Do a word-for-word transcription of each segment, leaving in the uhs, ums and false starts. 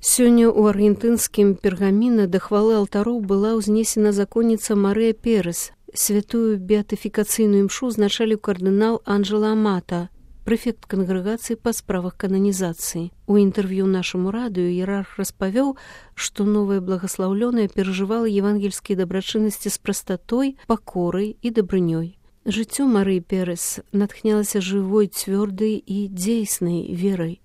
Сёння ў аргентынскім Пергаміна да хвалы алтароў была ўзнесена законніца Марыя Перес. Святую беатыфікацыйную імшу узначаліў кардынал Анджела Амата, прэфект кангрэгацыі па справах кананізацыі. У інтэрв'ю нашаму радыё іерарх распавёў, што новая благаслаўлёная перажывала евангельскія дабрачыннасці з прастатой, пакорай і дабрынёй. Жыццё Марыі Перес натхнялася жывой, цвёрдай і дзейснай верай,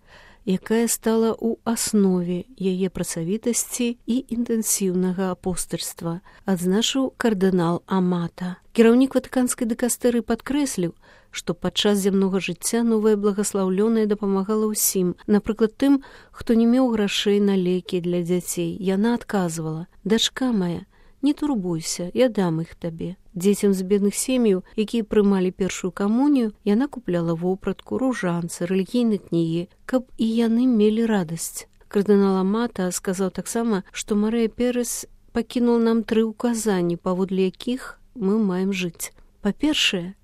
якая стала ў аснове яе працавітасці і інтэнсіўнага апостальства, адзначыў кардынал Амата. Кіраўнік ватыканскай дыкастэрыі падкрэсліў, што падчас зямнога жыцця новая благаслаўлёная дапамагала ўсім, напрыклад, тым, хто не меў грашэй на лекі для дзяцей. Яна адказвала: «Дачка мая, не турбуйся, я дам іх табе». Дзецям з бедных сем'яў, якія прымалі першую камунію, яна купляла вопратку, ружанцы, рэлігійныя кнігі, каб і яны мелі радасць. Кардынал Амата сказаў таксама, што Марыя Перес пакінуў нам тры ўказанні, паводле якіх мы маем жыць. Па-першае,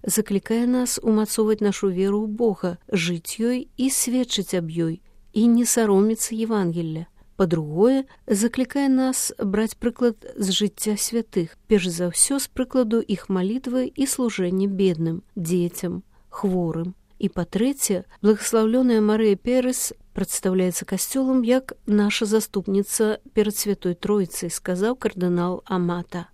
заклікае нас умацоўваць нашу веру ў Бога, жыць ёй і сведчыць аб ёй, і не саромецца Евангелля. Па-другое, заклікае нас браць прыклад з жыцця святых, перш за ўсё з прыкладу іх малітвы і служэння бедным, дзецям, хворым. І па-трэцяе, благаслаўлёная Марыя Перес прадстаўляецца касцёлам як наша заступніца перад Святой Тройцай, сказаў кардынал Амата.